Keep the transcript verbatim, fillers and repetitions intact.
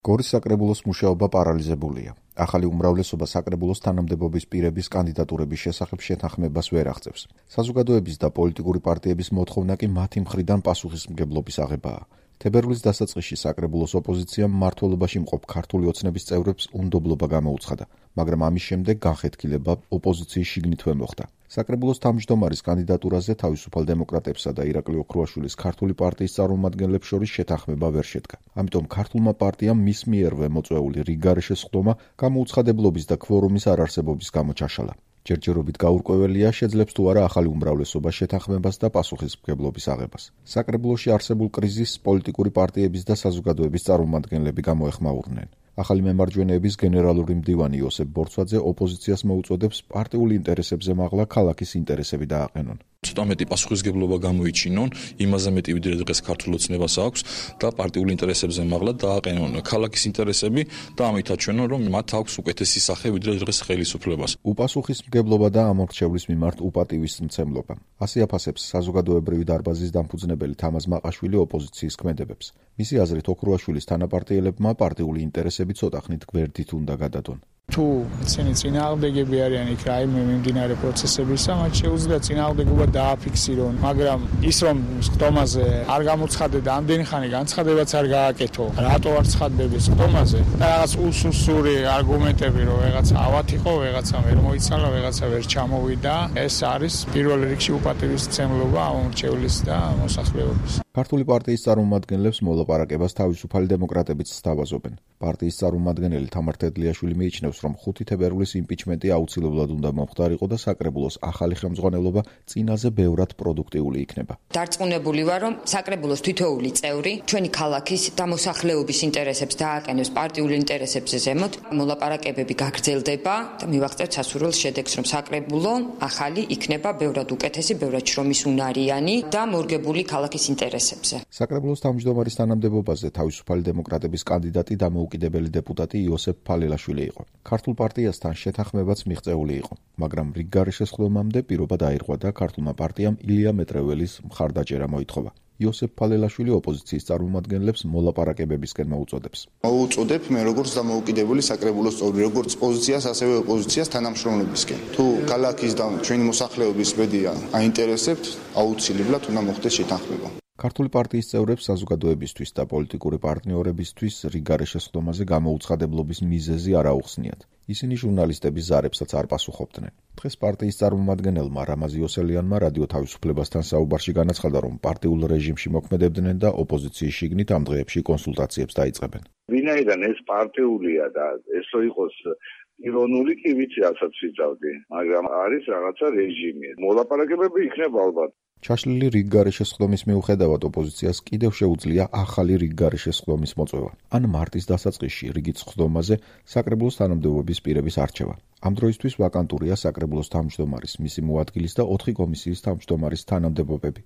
გორის საკრებულოს მუშაობა პარალიზებულია. ახალი უმრავლესობა საკრებულოს თანამდებობის პირების კანდიდატურების შესახებ შეთანხმებას ვერ აღწევს. საზოგადოების და პოლიტიკური პარტიების მოთხოვნა კი მათი მხრიდან პასუხისმგებლობის აღებაა. თებერვლის დასაწყისში საკრებულოს ოპოზიციამ მმართველობაში მყოფ ქართული ოცნების წევრებს უნდობლობა გამოუცხადა, მაგრამ ამის შემდეგ განხეთქილება ოპოზიციის შიგნითვე მოხდა. საკრებულოს თავმჯდომარის კანდიდატურაზე თავისუფალ დემოკრატებსა და ირაკლი ოქრუაშვილის ქართული პარტიის წარმომადგენლებს შორის შეთანხმება ვერ შედგა. ამიტომ ქართულმა პარტიამ მის მიერვე მოწვეული რიგგარეშე სხდომა გამოუცხადებლობის და ქვორუმის არარსებობის გამო ჩაშალა. ჯერჯერობით გაურკვეველია, შეძლებს თუ არა ახალი უმრავლესობა შეთანხმებას და პასუხისმგებლობის აღებას. საკრებულოში არსებულ კრიზისს პოლიტიკური პარტიების და საზოგადოების წარმომადგენლები გამოეხმაურნენ. ახალი მემარჯვენეების გენერალური მდივანი იოსებ ბორცვაძე ოპოზიციას მოუწოდებს პარტიულ ინტერესებზე მაღლა ქალაქის ინტერესები დააყენონ. ცოტა მეტი პასუხისმგებლობა გამოიჩინონ, იმაზე მეტი ვიდრე დღეს ქართულ ოცნებას აქვს და პარტიულ ინტერესებზე მაღლა დააყენონ ქალაქის ინტერესები და ამით აჩვენონ, რომ მათ აქვს უკეთესი სახე ვიდრე დღეს ხელისუფლებას. უპასუხისმგებლობა და ამორჩევლის მიმართ უპატივის მცემლობა. ასე აფასებს საზოგადოებრივი დარბაზის დამფუძნებელი თამაზ მაყაშვილი ოპოზიციის ქმედებებს. მისი აზრით ოქრუაშვილის თანაპარტიელებმა პარტიული ინტერესები ცოტა ხნით გვერდით უნდა გადადონ. თუ ისინი წინააღმდეგები არიან იქ რაიმე მიმდინარე პროცესებისა, მათ შეუძლია წინააღმდეგობა დააფიქსირონ, მაგრამ ის რომ სხდომაზე არ გამოცხადე და ამდენი ხანი განცხადებაც არ გააკეთო, რატო არ ცხადდები სხდომაზე? და რაღაც უსუსური არგუმენტები, რომ ვეღაცა ავად იყო, ვეღაცამ ვერ მოიცალა, ვეღაცა ვერ ჩამოვიდა, ეს არის პირველ რიგში უპატივისმცემლობა ამორჩევლის და მოსახლეობის. ქართული პარტიის წარმომადგენლებს მოლაპარაკებას თავისუფალი დემოკრატებიც სთავაზობენ. პარტიის წარმომადგენელი თამარ თედლიაშვილი მიიჩნევს, რომ ხუთი თებერვლის იმპიჩმენტი აუცილებლად უნდა მომხდარიყო და საკრებულოს ახალი ხელმძღვანელობა წინაზე ბევრად პროდუქტიული იქნება. დარწმუნებული ვარ, რომ საკრებულოს თითოეული წევრი ჩვენი ქალაქის და მოსახლეობის ინტერესებს დააყენებს პარტიულ ინტერესებზე ზემოთ. მოლაპარაკებები გაგრძელდება და მივაღწევთ სასურველ შედეგს, რომ საკრებულო ახალი იქნება ბევრად უკეთესი, ბევრად შრომისუნარიანი და მორგებული ქალაქის ინტერესებზე. საკრებულოს თავმჯდომარის თანამდებობაზე თავისუფალი დემოკრატების კანდიდატი დამოუკიდებელი დეპუტატი იოსებ ფალელაშვილი იყო. ქართულ პარტიასთან შეთანხმებაც მიღწეული იყო, მაგრამ რიგგარეშე სხდომამდე პირობა დაირღვა და ქართულმა პარტიამ ილია მეტრეველის მხარდაჭერა მოითხოვა. იოსებ ფალელაშვილი ოპოზიციის წარმომადგენლებს მოლაპარაკებებისკენ მოუწოდებს. მოუწოდებ მე როგორც დამოუკიდებელი საკრებულოს წევრი, როგორც პოზიციას, ასევე ოპოზიციას თანამშრომლებისკენ. თუ ქალაქის და ჩვენი მოსახლეობის ბედია აინტერესებთ, აუცილებლად უნდა მოხდეს შეთანხმება. ქართული პარტიის წევრებს საზოგადოებისთვის და პოლიტიკური პარტნიორებისთვის რიგგარეშე სხდომაზე გამოუცხადებლობის მიზეზი არ აუხსნიათ. ისინი ჟურნალისტების ზარებსაც არ პასუხობდნენ. დღეს პარტიის წარმომადგენელმა რამაზ იოსელიანმა რადიო თავისუფლებასთან საუბარში განაცხადა, რომ პარტიულ რეჟიმში მოქმედებდნენ და ოპოზიციის შიგნით ამ დღეებში კონსულტაციებს დაიწყებენ. ვინაიდან ეს პარტიულია და ეს რო იყოს ირონული კი ვიცი, რასაც ვიწავდი, მაგრამ არის რაღაცა რეჟიმი. მოლაპარაკებები იქნება ალბათ. ჩაშლილი რიგგარეშე სხდომის მიუხედავად ოპოზიციას კიდევ შეუძლია ახალი რიგგარეშე სხდომის მოწვევა. ან მარტის დასაწყისში რიგით სხდომაზე საკრებულოს თანამდებობის პირების არჩევა. ამ დროისთვის ვაკანტურია საკრებულოს თავმჯდომარის, მისი მოადგილის და ოთხი კომისიის თავმჯდომარის თანამდებობები.